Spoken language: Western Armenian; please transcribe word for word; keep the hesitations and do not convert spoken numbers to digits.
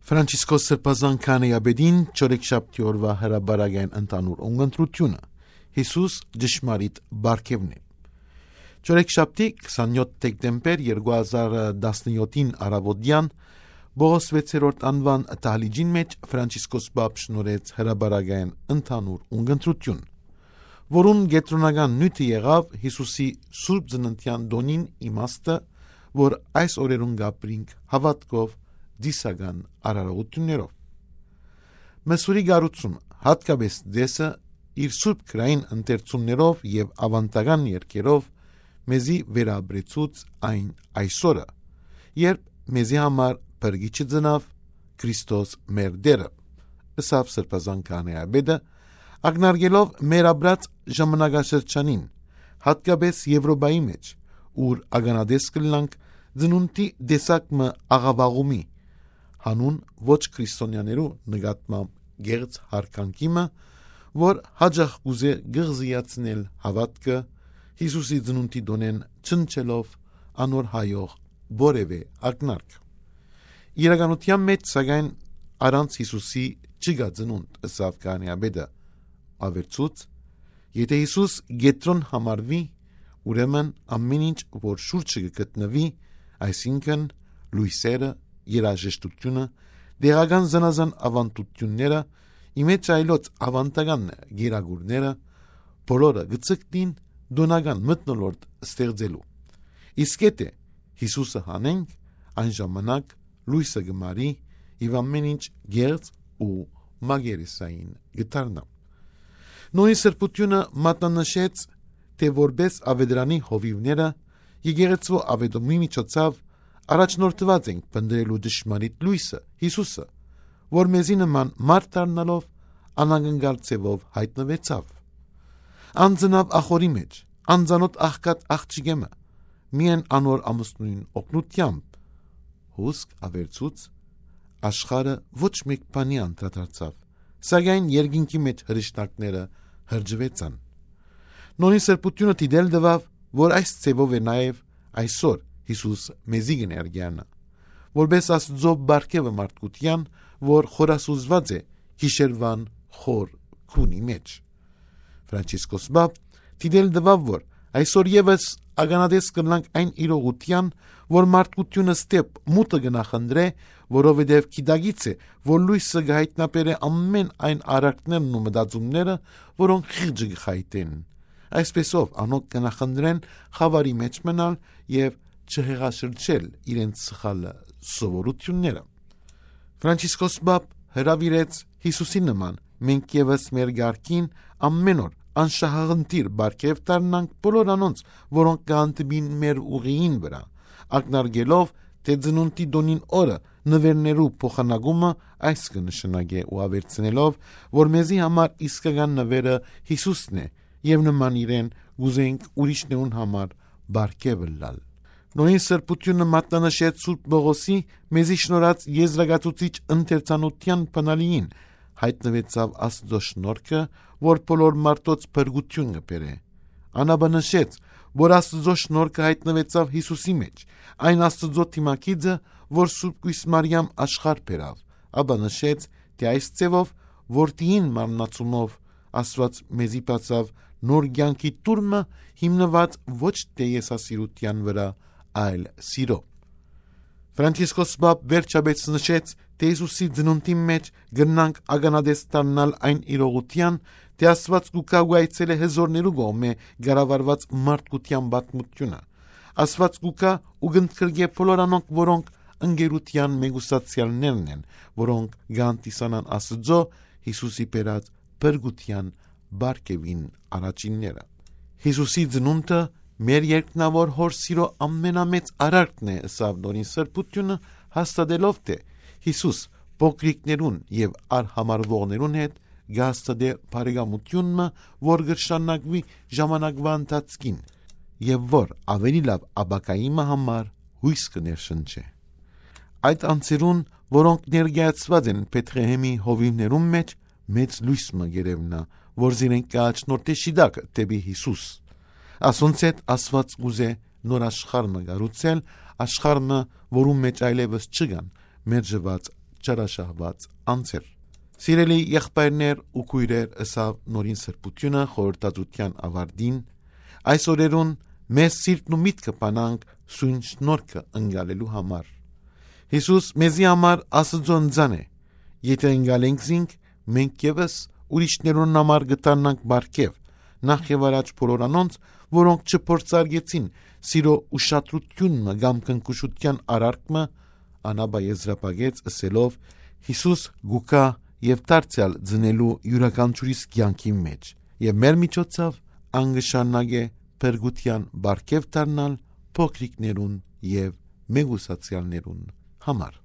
Ֆրանցիսկոս Սրբազան քահանայապետին չորեքշաբթի օրուայ հրապարակային ընդհանուր ունգընտրութիւնը։ Յիսուս ճշմարիտ պարգեւն է։ Չորեքշաբթի քսանյոթ դեկտեմբեր երկու հազար տասնյոթին առաւօտեան Պողոս վեցերորդ անուան դահլիճին մէջ Ֆրանցիսկոս Պապ շնորհեց հրապարակային ընդհանուր ունգընտրութիւն, որուն կեդրոնական նիւթը եղաւ Յիսուսի Սուրբ Ծննդեան տօնին իմաստը, որ այս օրերուն կապրինք հաւատքով դիսական արարողութիւններով։ Մսուրի կառուցումը, յատկապէս Դեսը, իր սուրբ գրային ընթերցումներով եւ աւանդական երգերով մեզի վերապրեցուց այն այսօրը, երբ մեզի համար փրկիչը ծնաւ, Քրիստոս մեր Տէրը, ըսաւ Սրբազան քահանայապետը, ակնարկելով մեր ապրած ժամանակաշրջանին, յատկապէս Եւրոպայի մէջ, ուր ականատես կ'ըլլանք ծնունդի տեսակ մը աղաւաղումի, հանուն ոչ քրիստոնեաներու նկատմամբ կեղծ յարգանքի մը, որ յաճախ կ'ուզէ կղզիացնել հաւատքը, Յիսուսի ծնունդի տօնէն չնչելով անոր հայող որեւէ ակնարկ։ Իրականութեան մէջ, սակայն, առանց Յիսուսի չկայ ծնունդ, ըսաւ քահանայապետը, աւերցուց. «Եթէ Յիսուս կեդրոն համարուի, ուրեմն ամէն ինչ, որ շուրջը կը գտնուի, այսինքն՝ լոյսերը, երաժշտությունը, տեղական զանազան աւանդութիւնները, ի մէջ այլոց աւանդական կերակուրները, բոլորը կը ձգտին տօնական մթնոլորտ ստեղծելու։ Իսկ եթէ Յիսուսը հանենք, այն ժամանակ լոյսը կը մարի եւ ամէն ինչ կեղծ ու մակերեսային կը դառնայ»։ Նորին Սրբութիւնը մատնանշեց, թէ որպէս աւետարանի հովիւները, եկեղեցւոյ աւետումի միջոցաւ առաջնորդուած ենք փնտռելու ճշմարիտ լոյսը, Յիսուսը, որ մեզի նման մարդ դառնալով, անակնկալ ձեւով յայտնուեցաւ։ Ան ծնաւ ախորի մէջ, անծանօթ աղքատ աղջիկէ մը, միայն անոր ամուսնոյն օգնութեամբ։ Հուսկ աւերցուց, աշխարհը ոչ մէկ բանի անդրադարձաւ, սակայն երկինքի մէջ հրեշտակները հրճուեցան։ Նորին Սրբութիւնը դիտել տուաւ, որ այս ձեւով է նաեւ այսօր Յիսուս մեզի կը ներկայանայ, որպէս Աստուծոյ պարգեւը մարդկութեան, որ խորասուզուած է գիշերուան խոր քունի մէջ։ Ֆրանցիսկոս Պապ դիտել տուաւ, որ այսօր եւս ականատես կ'ըլլանք այն իրողութեան, որ մարդկութիւնը ստեփ մութը կը նախընտրէ, որովհետեւ գիտակից է, որ լոյսը կը յայտնաբերէ ամէն այն արարքներն ու մտածումները, որոնք խիղճը կը խայտեն։ Այսպէսով, անոնք կը նախընտրեն խաւարի մէջ մնալ եւ չհեղաշրջել իրենց սխալ սովորութիւնները։ Ֆրանցիսկոս Պապ հրաւիրեց Յիսուսի նման, մենք եւս մեր կարգին ամէն օր անշահախնդիր պարգեւ դառնանք բոլոր անոնց, որոնք կհանդիպին մեր ուղիին վրայ, ակնարկելով, թէ ծնունդի տօնին օրը նուէրներու փոխանակումը այս կը նշանակէ ու աւերցնելով, որ մեզի համար իսկական նուէրը Յիսուսն է եւ նման իրեն կ'ուզենք ուրիշներուն համար պարգեւ ըլլալ։ Նորին Սրբութիւնը մատնանշեց Սուրբ Պողոսի մեզի շնորհած եզրակացուցիչ ընթերցանութեան բանալիին, յայտնուեցաւ Աստուծոյ շնորհքը, որ բոլոր մարդոց փրկութիւն կը բերէ։ Ան ապա նշեց, որ Աստուծոյ շնորհքը յայտնուեցաւ Յիսուսի մէջ, այն Աստուծոյ դիմագիծը, որ Սուրբ Կոյս Մարիամ աշխարհ բերաւ, ապա նշեց, թէ այս ձեւով որդիին մարմնացումով Աստուած մեզի բացաւ նոր կեանքի տուրմը, հիմնուած ոչ թէ եսասիրութեան վրայ, այլ սիրո։ Ֆրանցիսկոս Պապ վերջապէս նշեց, թէ Յիսուսի ծնունդին մէջ կրնանք ականատես դառնալ այն իրողութեան, թէ Աստուած կու գայ ու այցելէ հզօրներու կողմէ կառավարուած մարդկութեան պատմութիւնը։ Աստուած կու գայ ու կ'ընդգրկէ բոլոր անոնք, որոնք ընկերութեան մեկուսացեալներն են, որոնք կ'անտեսանան Աստուծոյ Յիսուսի բերած փրկութեան պարգեւին առաջինները։ Յիսուսի ծնունդը մեր երկնաւոր Հօր սիրո ամենամեծ արարքն է, ըսաւ Նորին Սրբութիւնը, հաստատելով, թէ Յիսուս փոքրիկներուն եւ արհամարհուողներուն հետ կը հաստատէ բարեկամութիւն մը, որ կը շարունակուի ժամանակվա ընթացքին եւ որ աւելի լաւ ապագայի մը համար յոյս կը ներշնչէ։ Այդ անձերուն, որոնք ներկայացուած են Բեթղեհեմի հովիւներուն մէջ, մեծ լոյս մը կ'երեւնայ, որ զիրենք կը առաջնորդէ շիտակ դէպի Յիսուս։ Ասոնց հետ Աստուած կ'ուզէ նոր աշխարհ մը կառուցել, աշխարհ մը, որուն մէջ այլեւս չկան մերժուած չարաշահուած անձեր։ Սիրելի եղբայրներ ու քոյրեր, ըսաւ նորին սրբութիւնը խորհրդածութեան աւարտին, այս օրերուն մեր սիրտն ու միտքը բանանք սոյն շնորհքը ընկալելու համար։ Յիսուս մեզի համար Աստուծոյ ընծան է։ Եթէ ընկալենք զինք, մենք եւս ուրիշներուն համար կը դառնանք պարգեւ, նախ եւ առաջ բոլոր անոնց, որոնք չփորձարկեցին սիրո ուշադրութիւնը կամ քնքուշութեան արարքը, անապա եզրափակեց ըսելով. «Յիսուս գուկա եւ դարձեալ ծնելու իւրաքանչիւրիս կեանքի մեջ, եւ մեր միջոցով ան կը շարունակէ փրկութեան պարգեւ դառնալ փոքրիկներուն եւ մեկուսացեալներուն համար»։